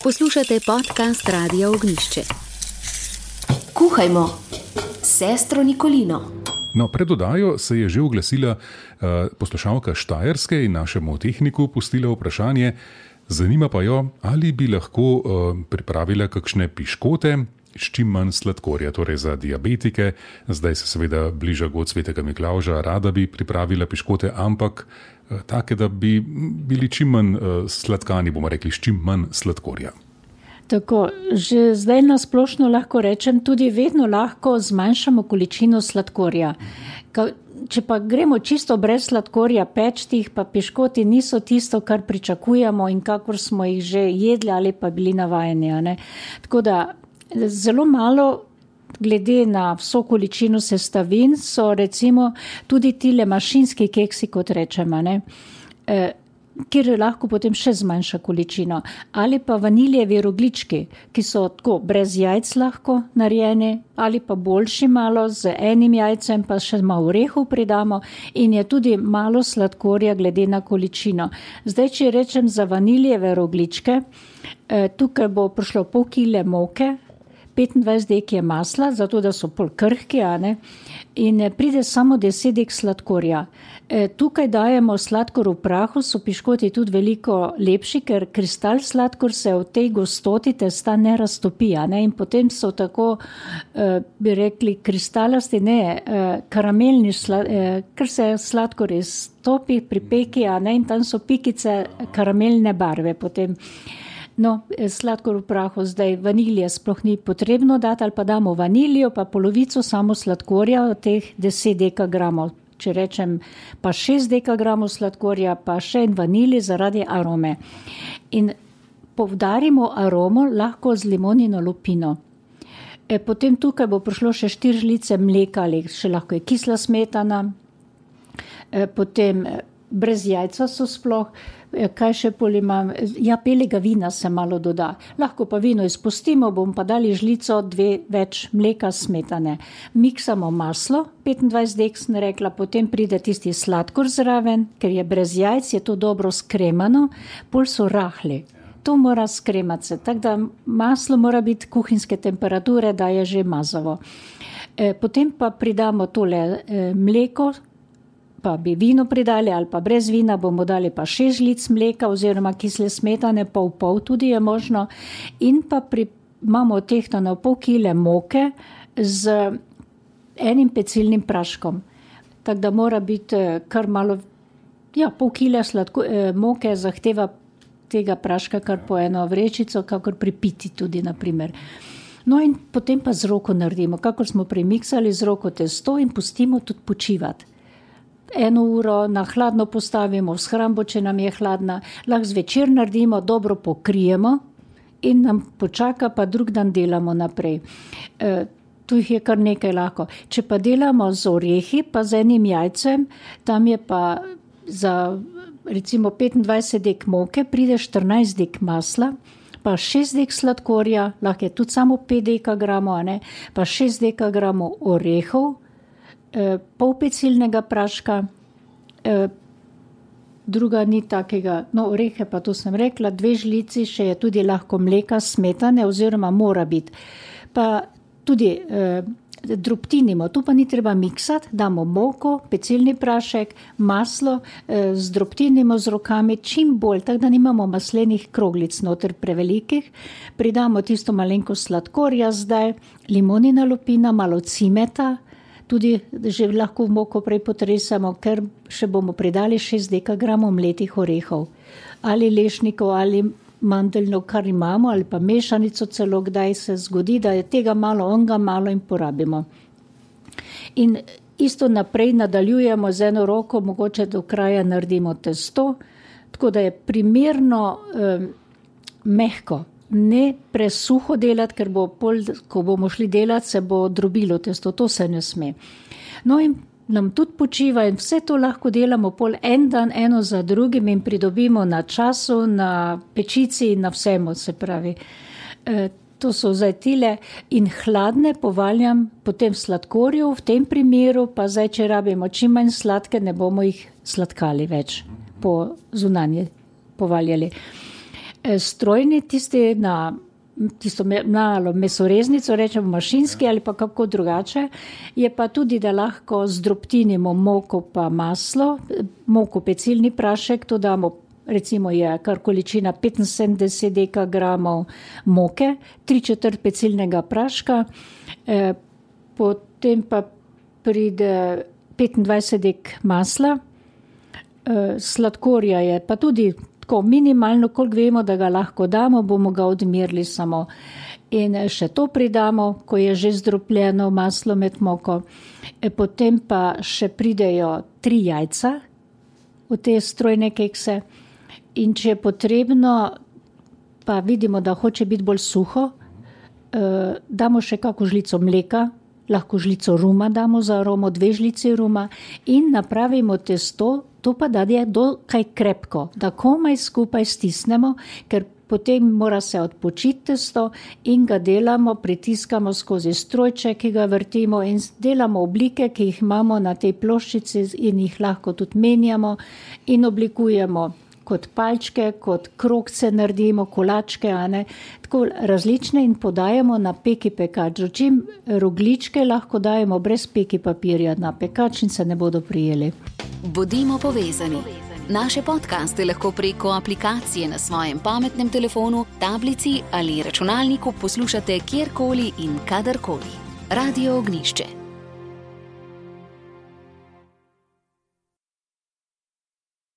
Poslušate podcast Radia Ognjišče. Kuhajmo, sestro Nikolino. No, pred oddajo se je že oglasila poslušalka Štajerske in našemu tehniku pustila vprašanje. Zanima pa jo, ali bi lahko pripravila kakšne piškote s čim manj sladkorja, torej za diabetike. Zdaj se seveda bliža god svetega Miklavža, rada bi pripravila piškote, ampak take, da bi bili čim manj sladkani, bomo rekli, s čim manj sladkorja. Tako, že zdaj na splošno lahko rečem, tudi vedno lahko zmanjšamo količino sladkorja. Če pa gremo čisto brez sladkorja pečtih, pa piškoti niso tisto, kar pričakujemo in kakor smo jih že jedli ali pa bili navajeni. Ne? Tako da zelo malo, glede na vso količino sestavin, so recimo tudi tile mašinski keksi, kot rečemo, ne? Kjer lahko potem še zmanjša količino. Ali pa vaniljevi roglički, ki so tako brez jajc lahko narejeni, ali pa boljši malo z enim jajcem, pa še malo orehov pridamo in je tudi malo sladkorja glede na količino. Zdaj, če rečem za vaniljeve rogličke, tukaj bo prišlo pol kile moke, 25 dek je masla, zato da so pol krhki, in pride samo 10 dek sladkorja. Tukaj dajemo sladkor v prahu, so piškoti tudi veliko lepši, ker kristal sladkor se v tej gostoti testa ne raztopi, in potem so tako, bi rekli, kristalasti, karamelni, ker se sladkor iztopi pri peki, in tam so pikice karamelne barve potem. No, sladkor v prahu zdaj vanilije sploh ni potrebno dati, ali pa damo vanilijo, pa polovico samo sladkorja od teh 10 dekagramov. Če rečem pa 6 dekagramov sladkorja, pa še en vanilij zaradi arome. In poudarimo aromo lahko z limonino lupino. Potem tukaj bo prišlo še 4 žlice mleka, ali še lahko je kisla smetana, potem brez jajca so sploh. Kaj še pol imam? Ja, belega vina se malo doda. Lahko pa vino izpustimo, bom pa dali žlico 2 več mleka smetane. Miksamo maslo, 25 dek sem rekla, potem pride tisti sladkor zraven, ker je brez jajc, je to dobro skremano, pol so rahli. To mora skremati se, tako da maslo mora biti kuhinjske temperature, da je že mazavo. Potem pa pridamo tole mleko, pa bi vino pridali ali pa brez vina, bomo dali pa 6 žlic mleka oziroma kisle smetane, pol tudi je možno. In pa imamo tehtano pol kile moke z enim pecilnim praškom. Tako da mora biti kar malo, pol kile moke zahteva tega praška kar po eno vrečico, kakor pri piti tudi, naprimer. No in potem pa z roko naredimo, kakor smo premiksali z roko testo in pustimo tudi počivati. 1 uro na hladno postavimo v shrambo, če nam je hladna, lahko zvečer naredimo, dobro pokrijemo in nam počaka, pa drug dan delamo naprej. Tu jih je kar nekaj lahko. Če pa delamo z orehi, pa z enim jajcem, tam je pa za recimo 25 dek moke, pride 14 dek masla, pa 6 dek sladkorja, lahko je tudi samo 5 dekagramov, pa 6 dekagramov orehov, pol pecilnega praška, druga ni takega, orehe pa to sem rekla, 2 žlici, še je tudi lahko mleka smetane oziroma mora biti. Pa tudi drobtinimo, tu pa ni treba miksati, damo moko, pecilni prašek, maslo, zdrobtinimo z rokami čim bolj, tako da nimamo maslenih kroglic noter prevelikih, pridamo tisto malenko sladkorja zdaj, limonina lupina, malo cimeta, tudi že lahko v moko prej potresamo, ker še bomo pridali 6 dekagramov mletih orehov. Ali lešnikov, ali mandeljno, kar imamo, ali pa mešanico celo, kdaj se zgodi, da je tega malo, onga malo in porabimo. In isto naprej nadaljujemo z eno roko, mogoče do kraja naredimo testo, tako da je primerno mehko. Ne presuho delati, ker bo pol, ko bomo šli delati, se bo drobilo testo, to se ne sme. No in nam tudi počiva in vse to lahko delamo pol en dan, eno za drugim in pridobimo na času, na pečici in na vsemu, se pravi. To so zdaj tile in hladne povaljam potem sladkorju, v tem primeru pa zdaj, če rabimo čim manj sladke, ne bomo jih sladkali več po zunanje povaljali. Strojni, tisti na tisto malo mesoreznico, rečemo mašinski ali pa kako drugače, je pa tudi, da lahko zdrobtinimo moko pa maslo, moko pecilni prašek, to damo, recimo je kar količina 75 dekagramov moke, 3/4 pecilnega praška, potem pa pride 25 dek masla, sladkorja je pa tudi tako minimalno, koliko vemo, da ga lahko damo, bomo ga odmerili samo. In še to pridamo, ko je že zdrobljeno maslo med moko. Potem pa še pridejo 3 jajca v te strojne kekse. In če je potrebno, pa vidimo, da hoče biti bolj suho, damo še kako žlico mleka, lahko žlico ruma damo za aromo, 2 žlici ruma in napravimo testo, to pa da je dokaj krepko, da komaj skupaj stisnemo, ker potem mora se odpočiti testo in ga delamo, pritiskamo skozi strojček, ki ga vrtimo in delamo oblike, ki jih imamo na tej ploščici in jih lahko tudi menjamo in oblikujemo kot palčke, kot krogce naredimo, kolačke, tako različne in podajamo na peki pekač. Čim rogljičke lahko dajemo brez peki papirja na pekač in se ne bodo prijeli. Bodimo povezani. Naše podcaste lahko preko aplikacije na svojem pametnem telefonu, tablici ali računalniku poslušate kjerkoli in kadarkoli. Radio Ognišče.